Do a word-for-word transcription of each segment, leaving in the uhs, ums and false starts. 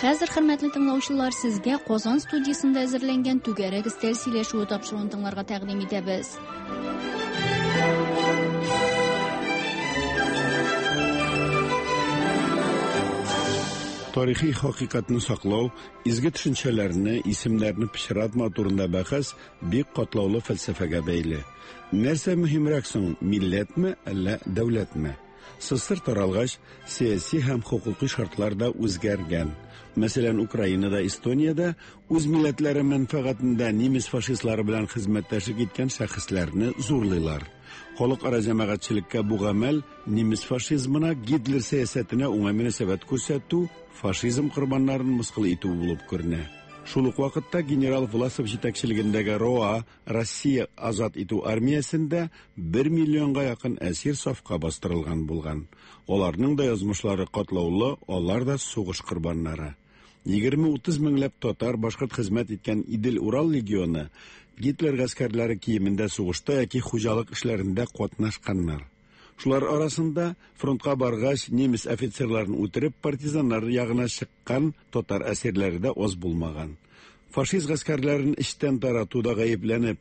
Хәзер, хөрмәтле тыңлаучылар, сезгә Казан студиясендә әзерләнгән түгәрәк өстәл сөйләшүе тапшыруын тыңларга тәкъдим итәбез. Тарихи хакыйкатьне саклау, изге төшенчәләрне, исемнәрне пычратмау турында бәхәс бик катлаулы фәлсәфәгә бәйле. Нәрсә мөһимрәк соң, милләтме, әллә дәүләтме? СССР таралгач, сәяси һәм хокукый шартлар да үзгәргән. Мәсәлән, Украинада, Эстониядә үз милләтләре мәнфәгатендә немец фашистлары белән хезмәттәшлек иткән шәхесләрне зурлыйлар. Халыкара җәмәгатьчелеккә бу гамәл немец фашизмына, Гитлер сәясәтенә уңай мөнәсәбәт күрсәтү, фашизм корбаннарын мыскыл итү булып күренә. Шул ук вакытта генерал Власов җитәкчелегендәге РОА, Россия азат итү армиясендә бер миллионга якын әсир сафка бастырылган булган. Аларның да язмышлары катлаулы, алар да сугыш корбаннары. Егерме-утыз меңләп татар, башкорт хезмәт иткән Идел-Урал легионы Гитлер гаскәрләре киемендә сугышта яки хуҗалык эшләрендә катнашканнар. Шулар арасында фронтка баргач немец офицерларын үтереп партизаннар ягына чыккан татар әсирләре дә аз булмаган. Фашист гаскәрләрен эчтән таратуда гаепләнеп,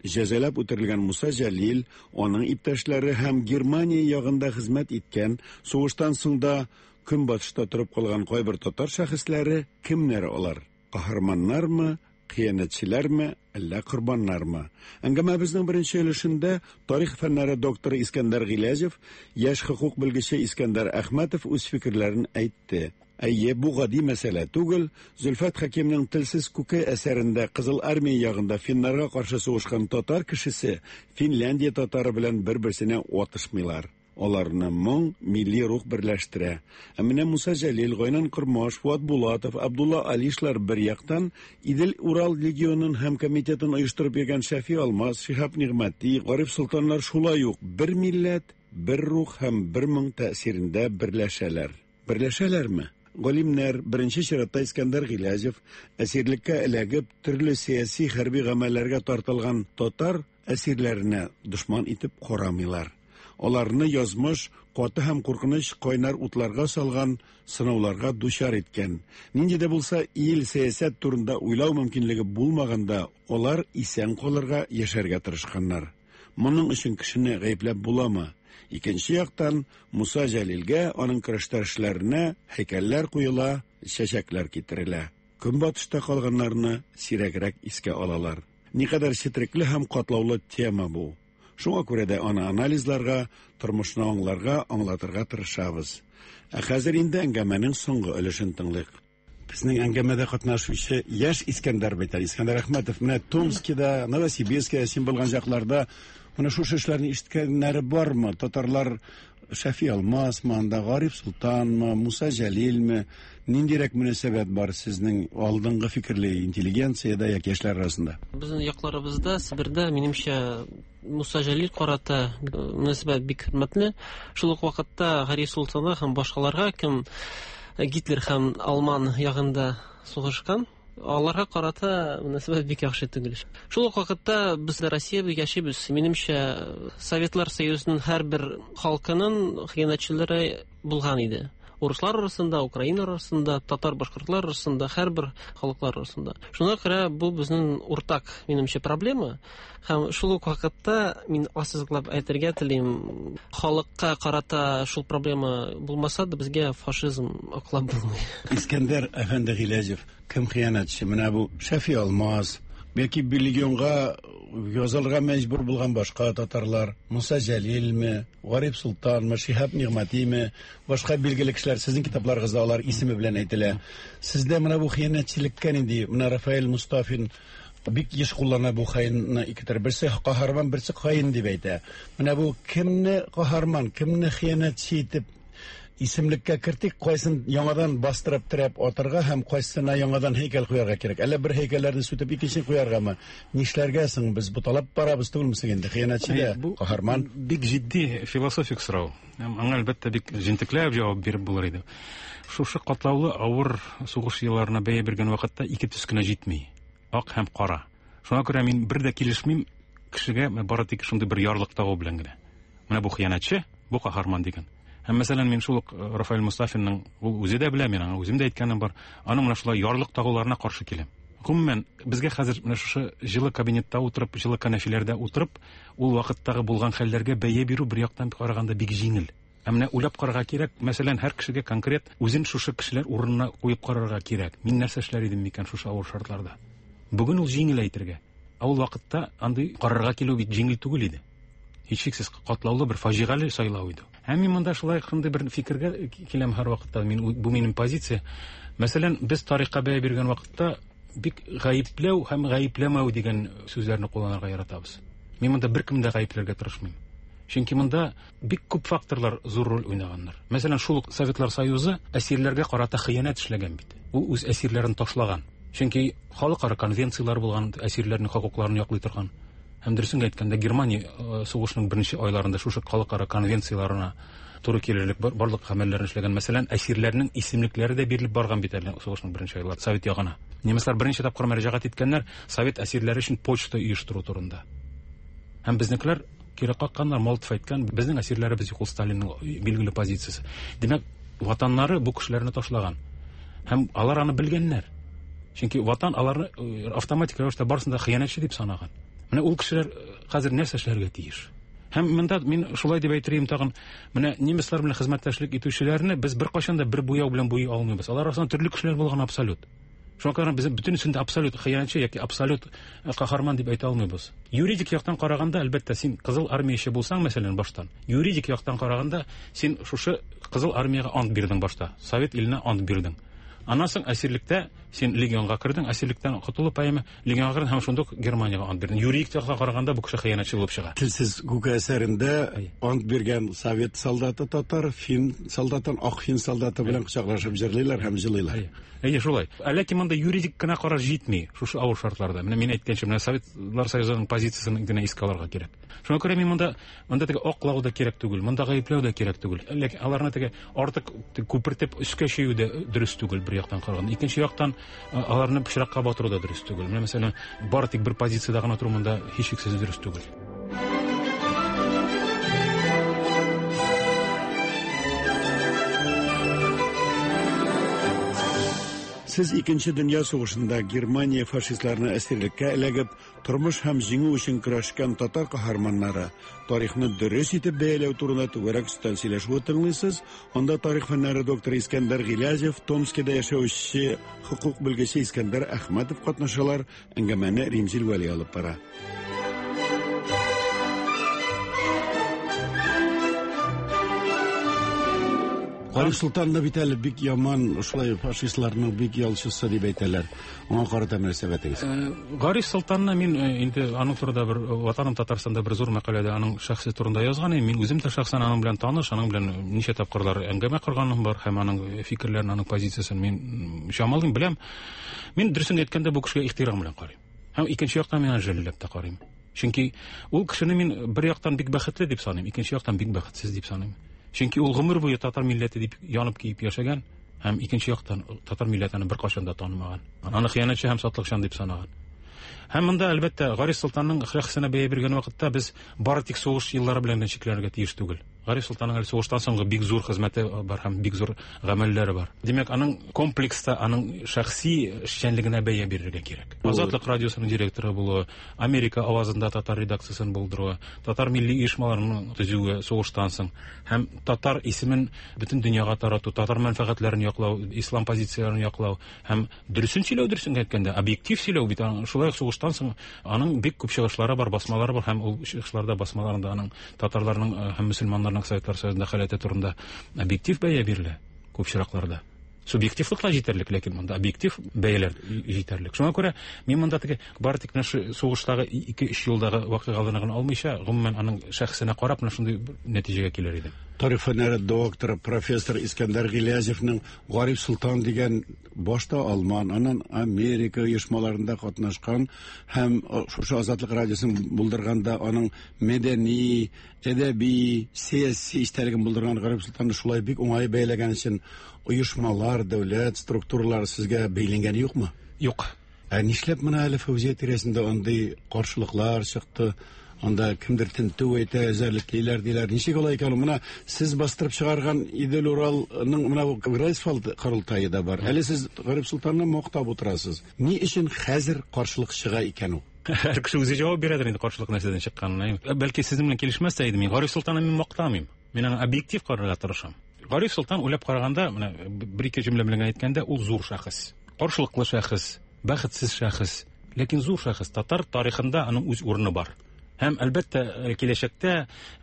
җәзалап үтерелгән Муса Җәлил, аның иптәшләре һәм Германия ягында хезмәт иткән, сугыштан соң да көнбатышта торып калган кайбер татар шәхесләре кемнәр алар? Каһарманнармы, хыянәтчеләрме, әллә корбаннармы? Әңгәмәбезнең беренче өлешендә тарих фәннәре докторы Искәндәр Гыйләҗев, яшь хокук белгече Искәндәр Әхмәтов үз фикерләрен әйтте. Әйе, бу гади мәсьәлә түгел. Зөлфәт Хәкимнең Телсез күке әсәрендә Кызыл армия ягында финнарга каршы сугышкан татар кешесе Финляндия татары белән бер-берсенә атышмыйлар. Аларны моң, милли рух берләштерә. Ә менә Муса Җәлил, Гайнан Кормаш, Фуат Булатов, Абдулла Алишлар бер яктан, Идел-Урал легионын һәм комитетын оештырып йөргән Шәфи Алмаз, Шиһаб Нигъмәти, Гариф Солтаннар шулай ук бер милләт, бер рух һәм бер моң тәэсирендә берләшәләр. Берләшәләрме? Галимнәр, беренче чиратта Искәндәр Гыйләҗев, әсирлеккә эләгеп, төрле сәяси хәрби гамәлләргә тартылган татар әсирләренә дошман итеп карамыйлар. Аларны язмыш каты һәм куркыныч кайнар утларга салган, сынауларга дучар иткән. Нинди дә булса ил, сәясәт турында уйлау мөмкинлеге булмаганда, алар исән калырга, яшәргә тырышканнар. Моның өчен кешене гаепләп буламы? Икенче яктан, Муса Җәлилгә, аның көрәштәшләренә һәйкәлләр куела, чәчәкләр китерелә. Көнбатышта калганнарны сирәгрәк искә алалар. Никадәр четерекле һәм катлаулы тема бу. Шуңа күрә дә аны анализларга, тормышны аңларга, аңлатырга тырышабыз. Ә хәзер инде әңгәмәнең соңгы өлешен тыңлыйк. Безнең әңгәмәдә катнашучы яшь Искәндәр бит әле, Искәндәр Әхмәтов, менә Томскида, Новосибирскида син булган чакларда менә шушы эшләрне ишеткәннәре бармы? Татарлар Шәфи Алмасмы, анда Гариф Солтанмы, Муса Җәлилме? Ниндирәк мөнәсәбәт бар сезнең алдынгы фикерле интеллигенциядә яки яшьләр арасында? Безнең якларыбызда, Себердә, минемчә, Муса Җәлил карата мөнәсәбәт бик хөрмәтле. Шул ук вакытта Гариф Солтанга һәм башкаларга, кем Гитлер һәм Алман ягында сугышкан, аларга карата мөнәсәбәт бик яхшы түгел. Шул ук вакытта без Россиядә яшибез. Минемчә, Советлар Союзының һәрбер халкының хыянәтчеләре булган иде. Урыслар арасында, украина арасында, татар, башкортлар арасында, һәрбер халыклар арасында. Шуңа күрә бу безнең уртак, минемчә, проблема. Һәм шул ук вакытта мин ассызыклап әйтергә телим, халыкка карата шул проблема булмаса да, безгә фашизм аклап булмый. Искәндәр әфәнде Гыйләҗев, кем хыянәтче? Менә бу Шәфи Алмаз, бәлки легионга язылырга мәҗбүр булган башка татарлар, Муса Җәлилме, Гариф Солтанмы, Шиһаб Нигъмәтиме, башка билгеле кешеләр, сезнең китапларыгызда алар исеме белән әйтелә. Сездә менә бу хыянәтчелеккә нинди? Менә Рафаэль Мустафин бик еш куллана бу хаинны ике төр. Берсе каһарман, берсе хаин дип әйтә. Менә бу кемне каһарман, кемне хыянәтче итеп исемлеккә кертик, кайсын яңадан бастырып терәп атырга һәм кайсына яңадан һәйкәл куярга кирәк? Әллә бер һәйкәлләрне сүтеп икенче куяргамы? Нишләргә соң без буталап барабыз түгелме соң инде? Хыянәтче дә, Бу каһарман. Бик җитди философик сорау. Аңа әлбәттә бик җентекләп җавап биреп булыр иде. Шушы катлаулы авыр сугыш елларына бәя биргән вакытта ике төс кенә җитми. Ак һәм кара. Шуңа күрә мин бер дә килешмим кешегә бары тик шундый бер ярлык тагу белән генә. Менә бу хыянәтче, бу каһарман дигән. Һәм мәсәлән, мин шул ук Рафаэль Мустафинның, ул үзе дә белә, мин аңа үзем дә әйткәнем бар, аның менә шулай ярлык тагуларына каршы киләм. Гомумән, безгә хәзер менә шушы җылы кабинетта утырып, җылы кәнәфиләрдә утырып, ул вакыттагы булган хәлләргә бәя бирү бер яктан караганда бик җиңел. Ә менә уйлап карарга кирәк, мәсәлән, һәр кешегә конкрет үзен шушы кешеләр урынына куеп карарга кирәк. Мин нәрсә эшләр идем микән шушы авыр шартларда? Бүген ул җиңел әйтергә. Ә ул вакытта андый карарга килү бит җиңел түгел иде. Һичшиксез катлаулы бер фаҗигале сайлау иде. Һәм мин монда шулай шундый бер фикергә киләм һәр вакытта. Мин, бу минем позиция. Мәсәлән, без тарихка бәя биргән вакытта бик гаепләү һәм гаепләмәү дигән сүзләрне кулланырга яратабыз. Мин монда беркемне дә гаепләргә тырышмыйм. Чөнки монда бик күп факторлар зур роль уйнаганнар. Мәсәлән, шул ук Советлар Союзы әсирләргә карата хыянәт эшләгән бит. Ул үз әсирләрен ташлаган. Чөнки халыкара конвенцияләр булган, әсирләрнең хокукларын яклый торган. Һәм дөресен әйткәндә, Германия сугышның беренче айларында шушы халыкара конвенцияләренә туры килерлек барлык гамәлләрен эшләгән. Мәсәлән, әсирләрнең исемлекләре дә бирелеп барган бит әле сугышның беренче айлары Совет ягына. Немецлар беренче тапкыр мөрәҗәгать иткәннәр Совет әсирләре өчен почта оештыру турында. Һәм безнекеләр кире какканнар, Молотов әйткән, безнең әсирләребез юк, ул Сталинның билгеле позициясе. Димәк, ватаннары бу кешеләрне ташлаган. Һәм алар аны белгәннәр. Чөнки ватан аларны автоматик рәвештә барысын да хыянәтче дип санаган. Менә ул кешеләр хәзер нәрсә эшләргә тиеш? Һәм монда мин шулай дип әйтер тагын, менә немецлар белән хезмәттәшлек итүчеләрне без беркайчан да бер буяу белән буйый алмыйбыз. Алар арасында төрле кешеләр булган абсолют. Шуңа күрә без бөтенесен дә абсолют хыянәтче яки абсолют каһарман дип әйтә алмыйбыз. Юридик яктан караганда, әлбәттә, син Кызыл армияче булсаң, мәсәлән, баштан, юридик яктан караганда, син шушы Кызыл армиягә ант бирдең башта, Совет иленә ант бирдең. Аннан соң әсирлектә син легионга кердең, әсирлектән котылып, әйме, легионга кердең һәм шундук Германиягә ант бирдең. Юридик яктан караганда бу кеше хыянәтче булып чыга. Телсез күке әсәрендә ант биргән совет солдаты татар, фин солдатын, ак фин солдаты белән кочаклашып җырлыйлар һәм җылыйлар. Әйе, шулай. Ләкин монда юридик кына караш җитми шушы авыр шартларда. Менә мин әйткәнчә, менә Советлар Союзының позициясын генә искә алырга кирәк. Шуңа күрә мин монда монда теге аклау да кирәк түгел, монда гаепләү дә кирәк түгел. Ләкин аларны теге артык күпертеп өскә чөю дә дөрес түгел бер яктан караганда. Икенче яктан аларны пычракка батыру да дөрес түгел. Менә мәсәлән, бары тик бер позициядә гына тору монда һичшиксез дөрес түгел. Сез Икенче дөнья сугышында Германия фашистларына әсирлеккә эләгеп, тормыш һәм җиңү өчен көрәшкән татар каһарманнары тарихны дөрес итеп бәяләү турында түгәрәк өстәл сөйләшүе тыңлыйсыз. Анда тарих фәннәре докторы Искәндәр Гыйләҗев, Томскида яшәүче хокук белгече Искәндәр Әхмәтов катнашалар. Әңгәмәне Римзил Вәли алып бара. Гариф Солтан да бит әле бик яман, шулай фашистларның бик ялчысы дип әйтәләр. Аңа карата мөнәсәбәтегез? Гариф Солтанны мин инде аның турында бер Ватаным Татарстанда бер зур мәкаләдә аның шәхси турында язган идем. Мин үзем дә шәхсән аның белән таныш, аның белән ничә тапкырлар әңгәмә корганым бар һәм аның фикерләрен, аның позициясен мин чамалыйм, беләм. Мин дөресен әйткәндә бу кешегә ихтирам белән карыйм. Һәм икенче яктан мин аны жәлләп тә карыйм. Чөнки ул кешене мин бер яктан бик бәхетле дип саныйм, икенче яктан бик бәхетсез дип саныйм. Чөнки ул гомер буе татар милләте дип янып киеп яшәгән һәм икенче яктан татар милләтен беркайчан да танымаган. Аны хыянәтче һәм сатлыкчан дип санаган. Һәм монда әлбәттә Гариф Солтанның шәхесенә бәя биргән вакытта без бары тик сугыш еллары белән генә чикләнергә тиеш түгел. Гариф Солтанның әле сугыштан соңгы бик зур хезмәте бар һәм бик зур гамәлләре бар. Димәк, аның комплекста, аның шәхси эшчәнлегенә бәя бирергә кирәк. Азатлык радиосының директоры булуы, Америка авазында татар редакциясын булдыруы, татар милли оешмаларының төзүе сугыштан соң һәм татар исемен бөтен дөньяга тарату, татар мәнфәгатьләрен яклау, ислам позицияләрен яклау һәм дөресен сөйләү, дөресен әйткәндә, объектив сөйләү бит шулай ук сугыштан соң аның бик күп чыгышлары бар, басмалары бар һәм ул чыгышларда, басмаларында аның татарларның һәм мөселманнарның Советлар Союзында халәте турында объектив бәя бирелә күп очракларда. Субъективлык та җитәрлек, ләкин монда объектив бәяләр җитәрлек. Шуңа күрә мин монда теге бары тик менә шу сугыштагы ике-өч елдагы вакыйгаларны гына алмыйча, гомумән аның шәхесенә карап менә шундый нәтиҗәгә килер идем. Тарих фәннәре докторы, профессор Искәндәр Гыйләҗевнең Гариф Солтан дигән башта Алман, аннан Америка оешмаларында катнашкан һәм шушы Азатлык радиосын булдырганда аның мәдәни, әдәби, сәяси истәлеген булдырган Гариф Солтанны шулай бик уңай бәяләгән өчен оешмалар, дәүләт структуралары сезгә бәйләнгәне юкмы? Юк. Ә нишләп менә әле Фәүзия тирәсендә андый каршылыклар чыкты? Анда кемдер тентү әйтә, эзәрлеклиләр диләр. Ничек алай икән? Менә сез бастырып чыгарган Идел Уралның менә бу Грайфсвальд корылтае да бар. Әле сез Гариф Солтанны мактап утырасыз. Ни өчен хәзер каршылык чыга икән ул? Һәр кеше үзе җавап бирәдер инде каршылык нәрсәдән чыкканына. Бәлки сезнең белән килешмәс тә идем. Мин Гариф Солтанны мин мактамыйм. Мин аңа объектив карарга тырышам. Гариф Солтан уйлап караганда, менә бер-ике җөмлә белән әйткәндә, ул зур шәхес. Каршылыклы шәхес, бәхетсез шәхес, ләкин зур шәхес. Татар тарихында аның үз урыны бар. Һәм әлбәттә киләчәктә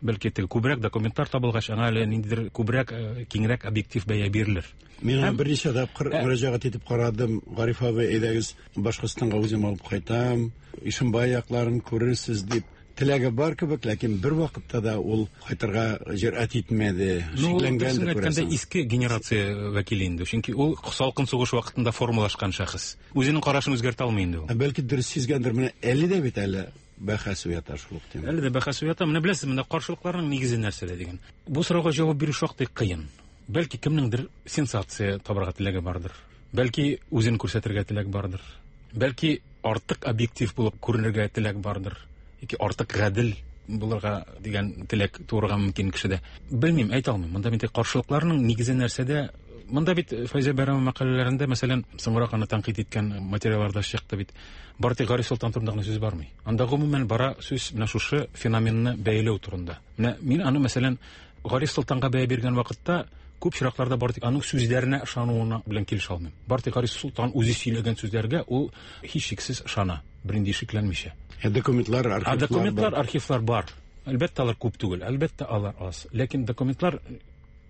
бәлки теге күбрәк документлар табылгач, аңа әле ниндидер күбрәк, киңрәк объектив бәя бирелер. Мин аңа берничә тапкыр мөрәҗәгать итеп карадым. Гариф абый, әйдәгез, Башкортстанга үзем алып кайтам, Ишембай якларын күрерсез дип. Теләге бар кебек, ләкин бер вакытта да ул кайтырга җөрьәт итмәде. Шикләнгәндер, күрәсең. Иске генерация вәкиле инде, чөнки ул салкын сугыш вакытында формалашкан шәхес. Үзенең карашын үзгәртә алмый инде ул. Ә бәлки дөрес сизгәндер, менә әле дә бит әле бәхәс уята шул ук тема. Әле дә бәхәс уята. Менә беләсез, менә каршылыкларның нигезе нәрсәдә дигән. Бу сорауга җавап бирү шактый кыен. Бәлки кемнеңдер сенсация табарга теләге бардыр. Бәлки үзен күрсәтергә теләк бардыр. Бәлки артык объектив булып күренергә теләк бардыр. Яки артык гадел булырга дигән теләк туырга мөмкин кешедә. Белмим, әйтә алмыйм. Монда бит каршылыкларның нигезе нәрсәдә? Монда бит Фәйзә Бәйрәмова мәкаләләрендә, мәсәлән, соңрак аны тәнкыйть иткән материалларда чыкты бит. Бары тик Гариф Солтан турында гына сүз бармый. Анда гомумән бара сүз менә шушы феноменны бәяләү турында. Менә мин аны, мәсәлән, Гариф Солтанга бәя биргән вакытта күп чиракларда бары тик аның сүзләренә ышануына белән килешә алмыйм. Бары тик Гариф Солтан үзе сөйләгән сүзләргә ул һичшиксез ышана, бернинди шикләнмичә. Ә документлар, архивлар Ә документлар, архивлар бар. Әлбәттә, алар күп түгел, әлбәттә, алар аз. Ләкин документлар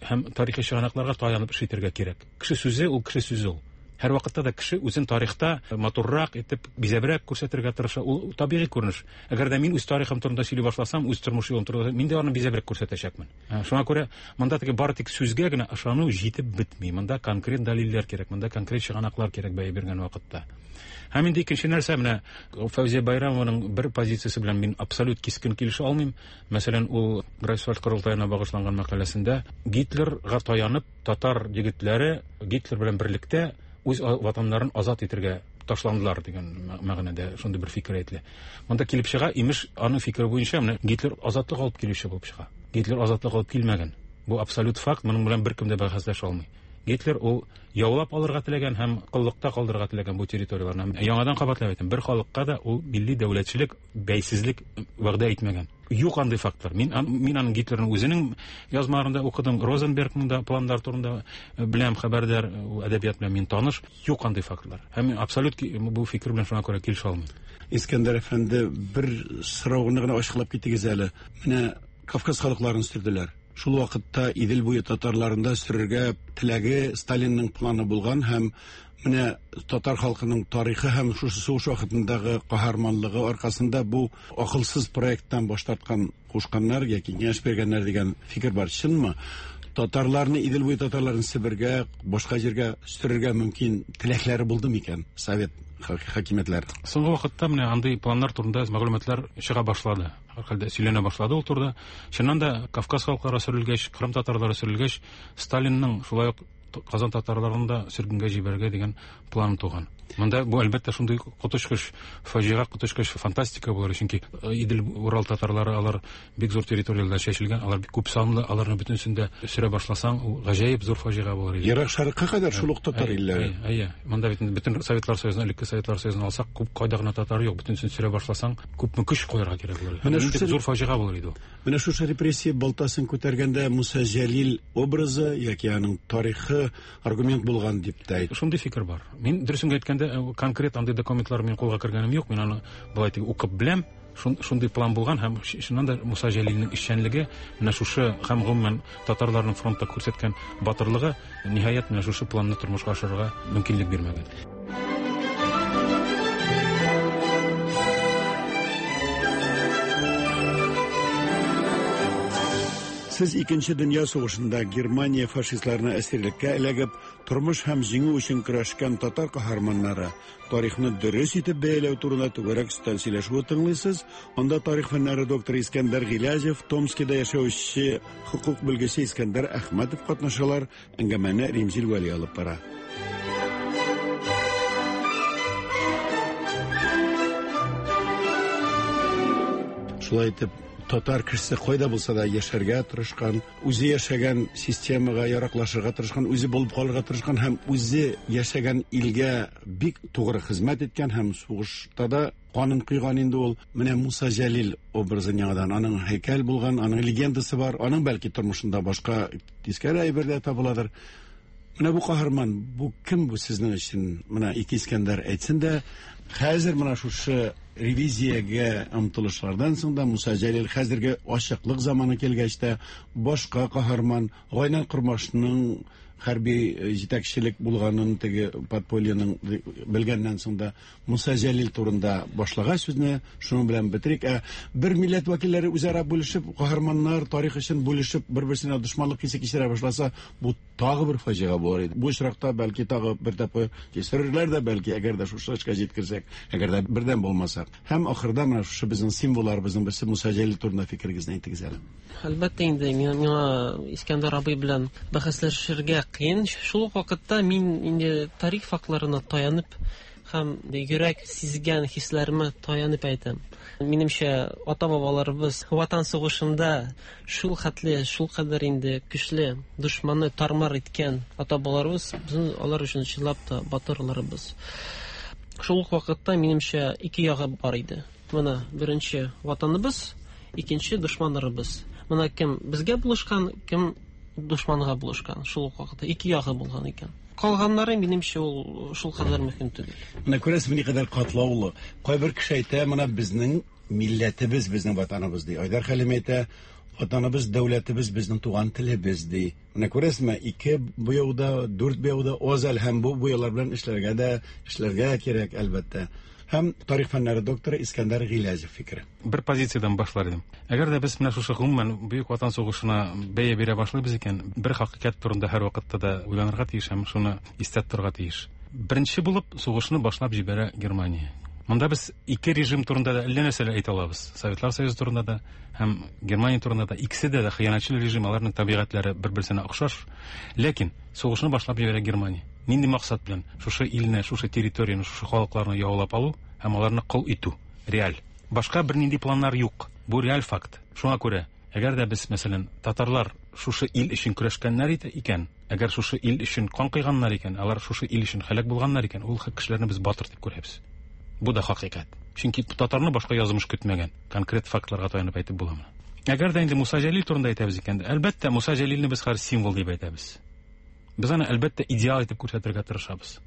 һәм тарихи чыганакларга таянып эш итәргә кирәк. Кеше сүзе ул кеше сүзе ул. Һәр вакытта да кеше үзен тарихта матуррак итеп, бизәбрәк күрсәтергә тырыша. Ул табигый күренеш. Әгәр дә мин үз тарихым турында сөйли башласам, үз тормыш юлым турында, мин дә аны бизәбрәк күрсәтәчәкмен. Шуңа күрә монда теге бары тик сүзгә генә ышану җитеп бетми. Монда конкрет дәлилләр кирәк, монда конкрет чыганаклар кирәк бәя биргән вакытта. Һәм инде икенче нәрсә, менә Фәүзия Байрамованың бер позициясе белән мин абсолют кискен килешә алмыйм. Мәсәлән, ул Грайфсвальд корылтаена багышланган мәкаләсендә Гитлерга таянып татар егетләре Гитлер белән берлектә үз ватаннарын азат итәргә ташландылар дигән мәгънәдә шундый бер фикер әйтелә. Монда килеп чыга, имеш, аның фикере буенча менә Гитлер азатлык алып килүче булып чыга. Гитлер азатлык алып килмәгән. Бу абсолют факт, моның белән беркем дә бәхәсләшә алмый. Гитлер ул яулап алырга теләгән һәм коллыкта калдырырга теләгән бу территорияләрне. Яңадан кабатлап әйтәм, бер халыкка да ул милли дәүләтчелек, бәйсезлек вәгъдә итмәгән. Юк андый фактлар. Мин мин аның Гитлерның үзенең язмаларында укыдым, Розенбергның да планнар турында беләм, хәбәрдар, әдәбият белән мин таныш. Юк андый фактлар. Һәм мин абсолют бу фикер белән шуңа күрә килешә алмыйм. Искәндәр әфәнде, бер сорауны гына ачыклап китегез әле. Менә Кавказ халыкларын сөрделәр. Шул вакытта Идел буе татарларында сөрергә теләге Сталинның планы булган һәм менә татар халкының тарихы һәм шушы сугыш вакытындагы каһарманлыгы аркасында бу акылсыз проекттан баш тарткан кушканнар яки киңәш биргәннәр дигән фикер бар. Чынмы? Татарларны, Идел буе татарларын Себергә, башка җиргә сөрергә мөмкин теләкләре булды микән совет хакимиятләре? Соңгы вакытта менә андый планнар турында мәгълүматлар чыга башлады. Һәрхәлдә сөйләнә башлады ул турыда. Чыннан да Кавказ халыклары сөрелгәч, Кырым татарлары сөрелгәч, Сталинның шулай ук Казан татарларын да сөргенгә җибәрергә дигән план туган. Монда бу әлбәттә шундый коточкыч фаҗига, коточкыч фантастика булыр, чөнки Идел Урал татарлары алар бик зур территорияләрдә чәчелгән, алар бик күп санлы, аларны бөтенесен дә сөрә башласаң, ул гаҗәеп зур фаҗига булыр иде. Ерак Шәрыкка кадәр шул ук татар илләре. Әйе, монда бит бөтен Советлар Союзын, элекке Советлар Союзын алсак, күп кайда гына татар юк, бөтенесен сөрә башласаң, күпме көч куярга кирәк булыр. Менә шушы зур фаҗига булыр иде ул. Менә шушы репрессия балтасын күтәргәндә Муса Җәлил образы яки аның тарихы аргумент булган дип тә әйт. Шундый фикер бар. Мин дөресен әйткәндә, конкрет андый документлар мин кулга кергәнем юк, мин аны былай дип укып беләм. Шундый план булган һәм чыннан да Муса Җәлилнең эшчәнлеге менә шушы һәм гомумән татарларның фронтта күрсәткән батырлыгы ниһаять менә шушы планны тормышка ашырырга мөмкинлек бирмәгән. Сез Икенче дөнья сугышында Германия фашистларына әсирлеккә эләгеп, тормыш һәм җиңү өчен көрәшкән татар каһарманнары тарихны дөрес итеп бәяләү турында түгәрәк өстәл сөйләшүе тыңлыйсыз. Анда тарих фәннәре докторы Искәндәр Гыйләҗев, Томскида яшәүче хукук белгече Искәндәр Әхмәтов катнашалар. Әңгәмәне Римзил Вәли алып бара. Шулай итеп, татар кешесе кайда булса да яшәргә тырышкан, үзе яшәгән системага яраклашырга тырышкан, үзе булып калырга тырышкан һәм үзе яшәгән илгә бик тугры хезмәт иткән һәм сугышта да канын койган инде ул. Менә Муса Җәлил образын яңадан, аның һәйкәл булган, аның легендасы бар, аның бәлки тормышында башка тискәре әйбер дә табыладыр. Менә бу каһарман, бу кем бу сезнең өчен? Менә ике Искәндәр әйтсен дә, хәзер менә шушы ревизиягә омтылышлардан соң да Муса Җәлил хәзерге ачыклык заманы килгәч тә башка каһарман Гайнан Кормашның хәрби җитәкчелек булганын теге подпольеның белгәннән соң да Муса Җәлил турында башлаган сүзне шуның белән бетерик. Ә бер милләт вәкилләре үзара бүлешеп, каһарманнар тарих өчен бүлешеп, бер-берсенә дошманлык хисе кичерә башласа, бу тагы бер фаҗига булыр иде. Бу очракта бәлки тагы бер тапкыр кисерерләр дә, бәлки, әгәр дә шушы эшкә җиткерсәк, әгәр дә бердәм булмасак. Һәм ахырда менә шушы безнең символларыбызның берсе Муса Җәлил турында фикерегезне әйтегез әле. Әлбәттә инде миңа Искәндәр абый белән бәхәсләшергә кыен. Шул ук вакытта мин инде тарих фактларына таянып һәм йөрәк сизгән хисләремә таянып әйтәм. Минемчә, ата-бабаларыбыз Ватан сугышында шул хәтле, шул кадәр инде көчле дошманны тармар иткән ата-бабаларыбыз, безнең алар өчен чынлап та батырларыбыз. Шул ук вакытта минемчә ике ягы бар иде. Менә беренче ватаныбыз, икенче дошманнарыбыз. Менә кем безгә булышкан, кем дошманга булышкан. Шул ук вакытта ике ягы булган икән. Калганнары минемчә ул шул кадәр мөһим түгел. Менә күрәсезме, никадәр катлаулы. Кайбер кеше әйтә, менә безнең милләтебез, безнең ватаныбыз ди. Айдар Хәлим әйтә, ватаныбыз, дәүләтебез, безнең туган телебез ди. Менә күрәсезме, ике буяуда, дүрт буяуда аз әле һәм бу буялар белән эшләргә дә, эшләргә кирәк әлбәттә. Һәм тарих фәннәре докторы Искәндәр Гыйләҗев фикере. Бер позициядән башлар идем. Әгәр дә без менә шушы гомумән Бөек Ватан сугышына бәя бирә башлыйбыз икән, бер хакыйкать турында һәр вакытта да уйланырга тиеш һәм шуны истә тотарга тиеш. Беренче булып сугышны башлап җибәрә Германия. Монда без ике режим турында да әллә нәрсәләр әйтә алабыз. Советлар Союзы турында да һәм Германия турында да. Икесе дә дә хыянәтчел режим, аларның табигатьләре бер-берсенә охшаш. Ләкин сугышны башлап җибәрә Германия. Нинди максат белән? Шушы илне, шушы территорияне, шушы халыкларны яулап алу һәм аларны кол итү. Реаль. Башка бернинди планнар юк. Бу реаль факт. Шуңа күрә, әгәр дә без, мәсәлән, татарлар шушы ил өчен көрәшкәннәр икән, әгәр шушы ил өчен кан койганнар икән, алар шушы ил өчен һәлак булганнар икән, ул кешеләрне без батыр дип күрәбез. Бу да хакыйкать. Чөнки татарны башка язмыш көтмәгән. Конкрет фактларга таянып әйтеп була моны. Әгәр дә инде Муса Җәлил турында әйтәбез икән, әлбәттә, Муса Җәлилне без хәзер символ дип әйтәбез. Без аны әлбәттә идеал итеп күрсәтергә тырышабыз.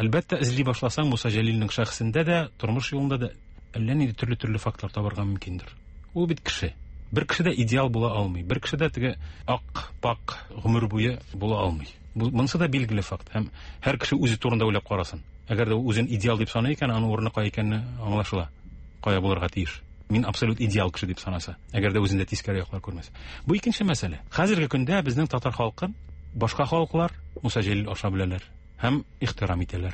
Әлбәттә, эзли башласаң, Муса Җәлилнең шәхесендә дә, тормыш юлында да әллә нинди төрле-төрле фактлар табарга мөмкиндер. Ул бит кеше. Бер кеше дә идеал була алмый. Бер кеше дә теге ак, пак гомер буе була алмый. Монысы да билгеле факт. Һәм һәр кеше үзе турында уйлап карасын. Әгәр дә үзен идеал дип саный икән, аның урыны кая икәнне аңлашыла. Кая булырга тиеш. Мин абсолют идеал кеше дип санаса, әгәр дә үзендә тискәре яклар күрмәсә. Бу икенче мәсьәлә. Хәзерге көндә безнең татар халкын башка халыклар Муса Җәлил аша беләләр һәм ихтирам итәләр.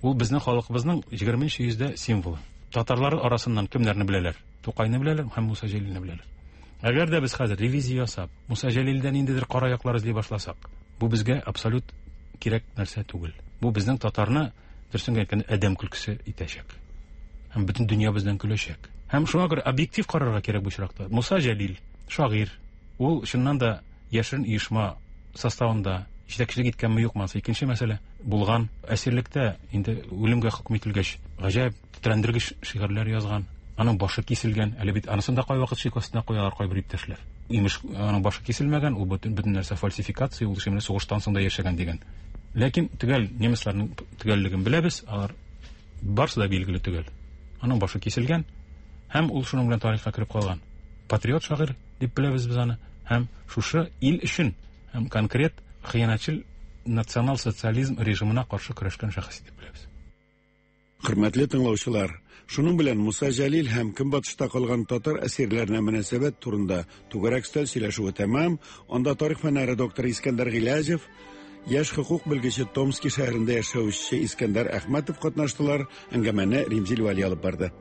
Ул безнең халкыбызның егерменче йөздә символы. Татарлар арасыннан кемнәрне беләләр? Тукайны беләләр һәм Муса Җәлилне беләләр. Әгәр дә без хәзер ревизия ясап, Муса Җәлилдән ниндидер кара яклар эзли башласак, бу безгә абсолют кирәк нәрсә түгел. Бу безнең татарны дөресен әйткәндә адәм көлкесе итәчәк. Һәм бөтен дөнья бездән көләчәк. Һәм шуңа күрә объектив карарга кирәк бу очракта. Муса Җәлил шагыйрь. Ул чыннан да яшерен оешма составында җитәкчелек иткәнме юкмы, анысы икенче мәсьәлә. Булган әсирлектә инде үлемгә хөкем ителгәч, гаҗәп тетрәндергеч шигырьләр язган. Аның башы киселгән. Әле бит анысын да кайвакыт шик астына куялар кайбер иптәшләр. Имеш, аның башы киселмәгән, ул бөтен бөтен нәрсә фальсификация, ул шимле сугыштан соң да яшәгән дигән. Ләкин төгәл немецларның төгәллеген беләбез, алар барысы да билгеле төгәл. Аның башы киселгән һәм ул шуның белән тарихка кереп калган. Патриот шагыйрь дип беләбез без аны. Һәм шушы ил өчен һәм конкрет хыянәтчел национал-социализм режимына каршы көрәшкән шәхес дип беләбез. Хөрмәтле тыңлаучылар, шуның белән Муса Җәлил һәм Көнбатышта калган татар әсирләренә мөнәсәбәт турында түгәрәк өстәл сөйләшүе тәмам. Анда тарих фәннәре докторы Искәндәр Гыйләҗев, яшь хукук белгече Томски шәһәрендә яшәүче Искәндәр Әхмәтов катнаштылар. Әңгәмәне Римзил Вәли алып барды.